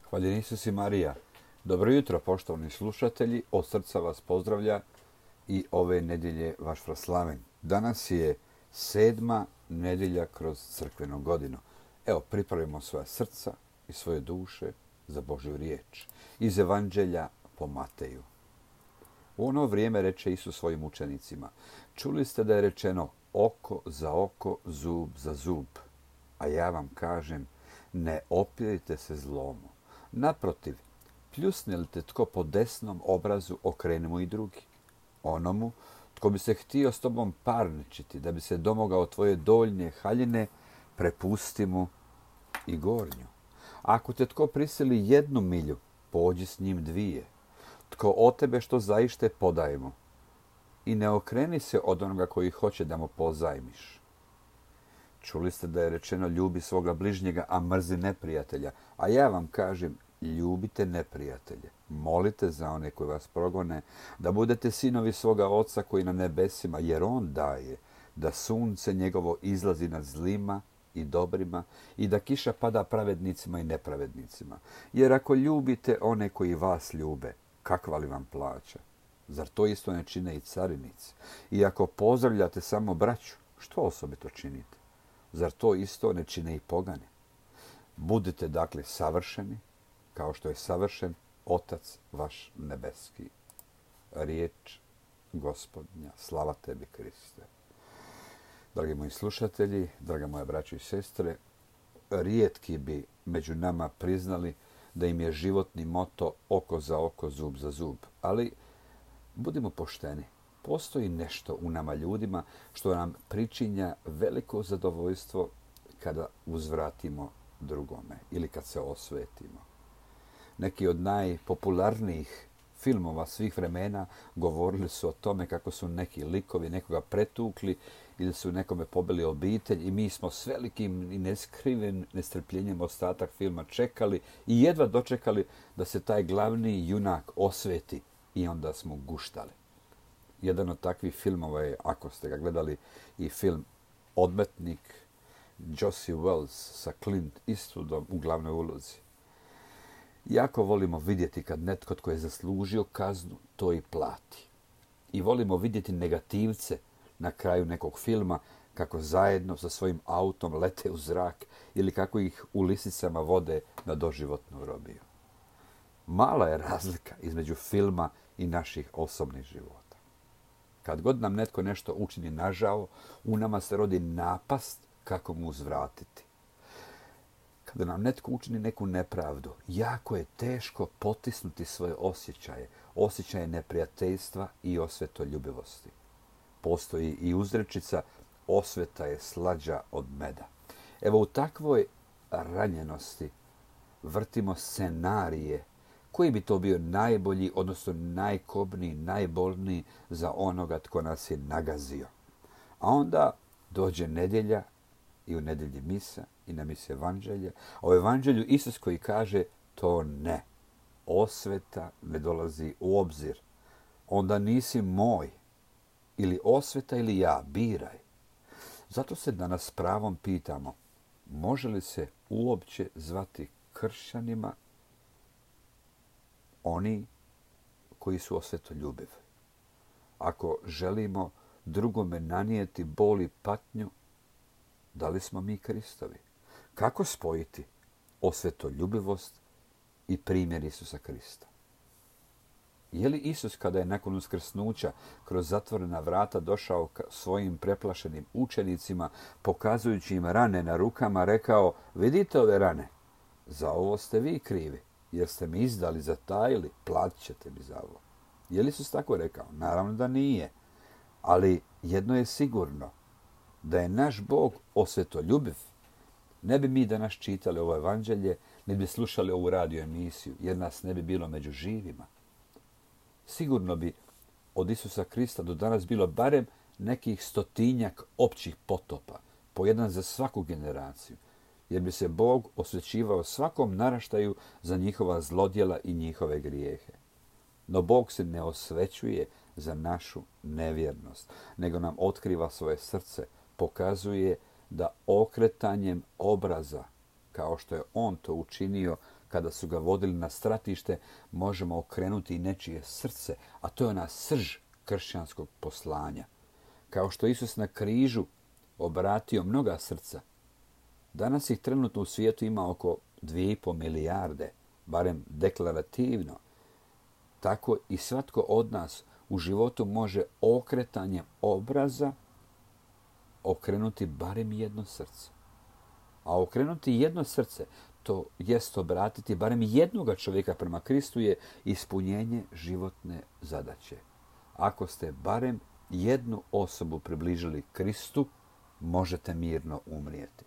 Hvaljen Isus i Marija. Dobro jutro, poštovani slušatelji. Od srca vas pozdravlja i ove nedjelje vaš Fraslaven. Danas je 7. nedjelja kroz crkvenu godinu. Evo, pripravimo svoja srca i svoje duše za Božju riječ. Iz Evanđelja po Mateju. U ono vrijeme reče Isus svojim učenicima: čuli ste da je rečeno oko za oko, zub za zub. A ja vam kažem, ne opirite se zlomu. Naprotiv, pljusne li te tko po desnom obrazu, okreni mu i drugi. Onomu tko bi se htio s tobom parničiti, da bi se domogao tvoje doljnje haljine, prepusti mu i gornju. Ako te tko prisili 1 milju, pođi s njim 2. Tko od tebe što zaište, podaj mu. I ne okreni se od onoga koji hoće da mu pozajmiš. Čuli ste da je rečeno ljubi svoga bližnjega, a mrzi neprijatelja. A ja vam kažem, ljubite neprijatelje. Molite za one koji vas progone, da budete sinovi svoga Oca koji na nebesima, jer On daje da sunce njegovo izlazi nad zlima i dobrima i da kiša pada pravednicima i nepravednicima. Jer ako ljubite one koji vas ljube, kakva li vam plaća? Zar to isto ne čine i carinici? I ako pozdravljate samo braću, što osobito činite? Zar to isto ne čine i pogani? Budite dakle savršeni, kao što je savršen Otac vaš nebeski. Riječ Gospodnja, slava tebi Kriste. Dragi moji slušatelji, draga moja braćo i sestre, rijetki bi među nama priznali da im je životni moto oko za oko, zub za zub. Ali budimo pošteni. Postoji nešto u nama ljudima što nam pričinja veliko zadovoljstvo kada uzvratimo drugome ili kad se osvetimo. Neki od najpopularnijih filmova svih vremena govorili su o tome kako su neki likovi nekoga pretukli ili su nekome pobili obitelj i mi smo s velikim i neskrivenim nestrpljenjem ostatak filma čekali i jedva dočekali da se taj glavni junak osveti i onda smo guštali. Jedan od takvih filmova je, ako ste ga gledali, i film Odmetnik Josie Wells sa Clint Eastwoodom u glavnoj ulozi. Jako volimo vidjeti kad netko tko je zaslužio kaznu to i plati. I volimo vidjeti negativce na kraju nekog filma kako zajedno sa svojim autom lete u zrak ili kako ih u lisicama vode na doživotnu robiju. Mala je razlika između filma i naših osobnih života. Kad god nam netko nešto učini nažao, u nama se rodi napast kako mu uzvratiti. Kada nam netko učini neku nepravdu, jako je teško potisnuti svoje osjećaje neprijateljstva i osvetoljubivosti. Postoji i uzrečica, osveta je slađa od meda. Evo u takvoj ranjenosti vrtimo scenarije koji bi to bio najbolji, odnosno najkobniji, najbolniji za onoga tko nas je nagazio. A onda dođe nedjelja i u nedjelji misa i na misi Evanđelje. A u Evanđelju Isus koji kaže to ne. Osveta ne dolazi u obzir. Onda nisi moj. Ili osveta ili ja, biraj. Zato se danas s pravom pitamo, može li se uopće zvati kršćanima oni koji su osvetoljubivi? Ako želimo drugome nanijeti bol i patnju, da li smo mi Kristovi? Kako spojiti osvetoljubivost i primjer Isusa Krista? Je li Isus kada je nakon uskrsnuća kroz zatvorena vrata došao svojim preplašenim učenicima, pokazujući im rane na rukama, rekao: vidite ove rane, za ovo ste vi krivi, jer ste mi izdali, zatajili, platit ćete mi za ovo. Je li Isus tako rekao? Naravno da nije. Ali jedno je sigurno, da je naš Bog osvetoljubiv, ne bi mi danas čitali ovo evanđelje, ne bi slušali ovu radio emisiju, jer nas ne bi bilo među živima. Sigurno bi od Isusa Krista do danas bilo barem nekih 100-tinjak općih potopa, po jedan za svaku generaciju, jer bi se Bog osvećivao svakom naraštaju za njihova zlodjela i njihove grijehe. No Bog se ne osvećuje za našu nevjernost, nego nam otkriva svoje srce, pokazuje da okretanjem obraza, kao što je On to učinio kada su ga vodili na stratište, možemo okrenuti i nečije srce, a to je ona srž kršćanskog poslanja. Kao što Isus na križu obratio mnoga srca, danas ih trenutno u svijetu ima oko 2,5 milijarde, barem deklarativno. Tako i svatko od nas u životu može okretanjem obraza okrenuti barem jedno srce. A okrenuti jedno srce, to jest obratiti barem jednoga čovjeka prema Kristu, je ispunjenje životne zadaće. Ako ste barem jednu osobu približili Kristu, možete mirno umrijeti.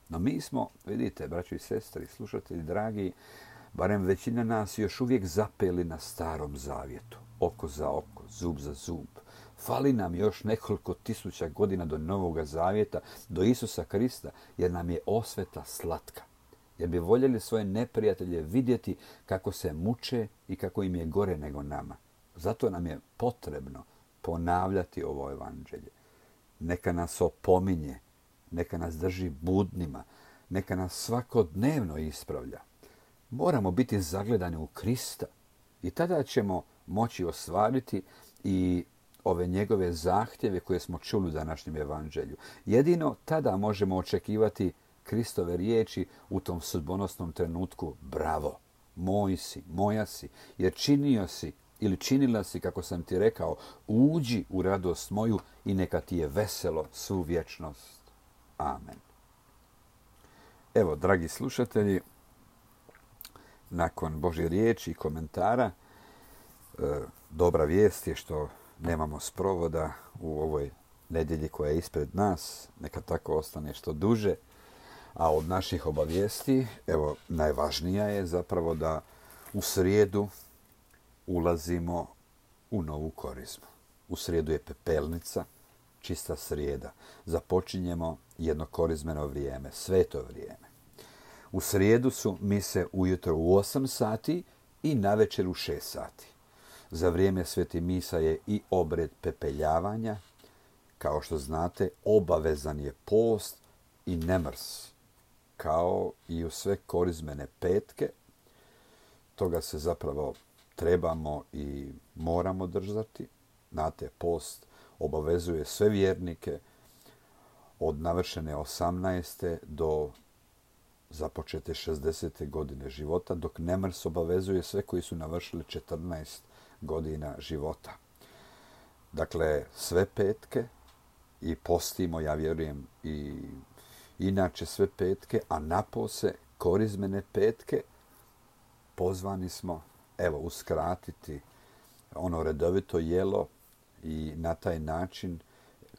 No mi smo, vidite, braćo i sestri, slušatelji dragi, barem većina nas još uvijek zapeli na Starom Zavjetu. Oko za oko, zub za zub. Fali nam još nekoliko tisuća godina do Novoga Zavjeta, do Isusa Krista, jer nam je osveta slatka. Jer bi voljeli svoje neprijatelje vidjeti kako se muče i kako im je gore nego nama. Zato nam je potrebno ponavljati ovo evanđelje. Neka nas opominje, neka nas drži budnima, neka nas svakodnevno ispravlja. Moramo biti zagledani u Krista i tada ćemo moći ostvariti i ove njegove zahtjeve koje smo čuli u današnjem evanđelju. Jedino tada možemo očekivati Kristove riječi u tom sudbonosnom trenutku: bravo, moj si, moja si, jer činio si ili činila si kako sam ti rekao, uđi u radost moju i neka ti je veselo svu vječnost. Amen. Evo, dragi slušatelji, nakon Božje riječi i komentara, dobra vijest je što nemamo sprovoda u ovoj nedjelji koja je ispred nas. Neka tako ostane što duže. A od naših obavijesti, evo, najvažnija je zapravo da u srijedu ulazimo u novu korizmu. U srijedu je pepelnica, čista srijeda. Započinjemo jedno korizmeno vrijeme, sveto vrijeme. U srijedu su mise ujutro u 8 sati i navečer u 6 sati. Za vrijeme sveti misa je i obred pepeljavanja. Kao što znate, obavezan je post i nemrs, kao i u sve korizmene petke. Toga se zapravo trebamo i moramo držati. Znate, post obavezuje sve vjernike od navršene 18. do započete 60. godine života, dok nemrs obavezuje sve koji su navršili 14 godina života. Dakle, sve petke i postimo, ja vjerujem, i inače sve petke, a napose korizmene petke pozvani smo, evo, uskratiti ono redovito jelo i na taj način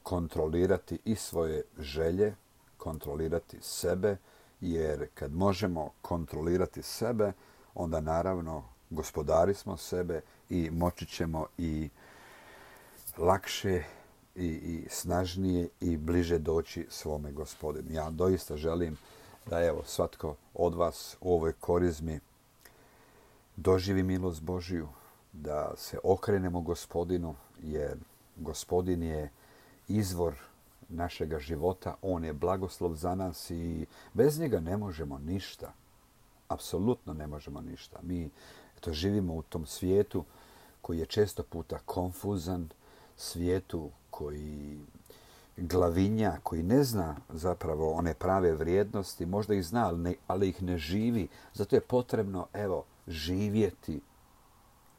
kontrolirati i svoje želje, kontrolirati sebe, jer kad možemo kontrolirati sebe, onda naravno gospodari smo sebe i moći ćemo i lakše i snažnije i bliže doći svome Gospodinu. Ja doista želim da, evo, svatko od vas u ovoj korizmi doživi milost Božiju, da se okrenemo Gospodinu, jer Gospodin je izvor našega života, on je blagoslov za nas i bez njega ne možemo ništa. Apsolutno ne možemo ništa. Mi živimo u tom svijetu koji je često puta konfuzan, svijetu koji glavinja, koji ne zna zapravo one prave vrijednosti, možda ih zna, ali ih ne živi. Zato je potrebno, evo, živjeti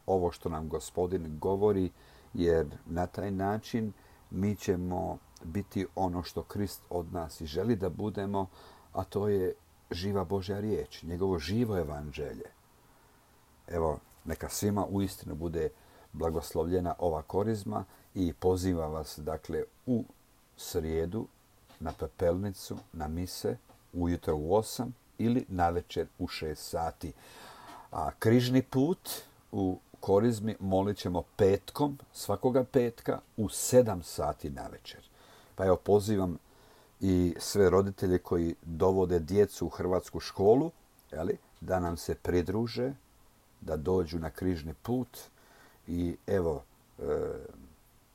ovo što nam Gospodin govori, jer na taj način mi ćemo biti ono što Krist od nas i želi da budemo, a to je živa Božja riječ, njegovo živo evanđelje. Evo, neka svima uistinu bude blagoslovljena ova korizma i pozivam vas, dakle, u srijedu na pepelnicu, na mise, ujutro u 8 ili navečer u 6 sati. A križni put u korizmi molit ćemo petkom, svakoga petka u 7 sati navečer. Pa evo, pozivam i sve roditelje koji dovode djecu u hrvatsku školu, da nam se pridruže, da dođu na križni put i evo,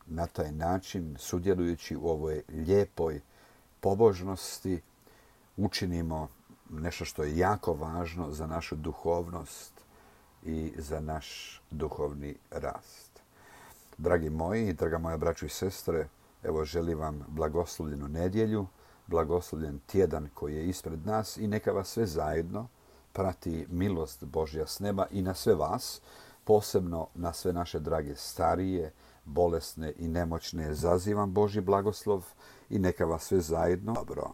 na taj način, sudjelujući u ovoj lijepoj pobožnosti, učinimo nešto što je jako važno za našu duhovnost i za naš duhovni rast. Dragi moji, draga moja braćo i sestre, evo želim vam blagoslovljenu nedjelju, blagoslovljen tjedan koji je ispred nas i neka vas sve zajedno prati milost Božja s neba i na sve vas, posebno na sve naše drage starije, bolesne i nemoćne, zazivam Božji blagoslov i neka vas sve zajedno dobro.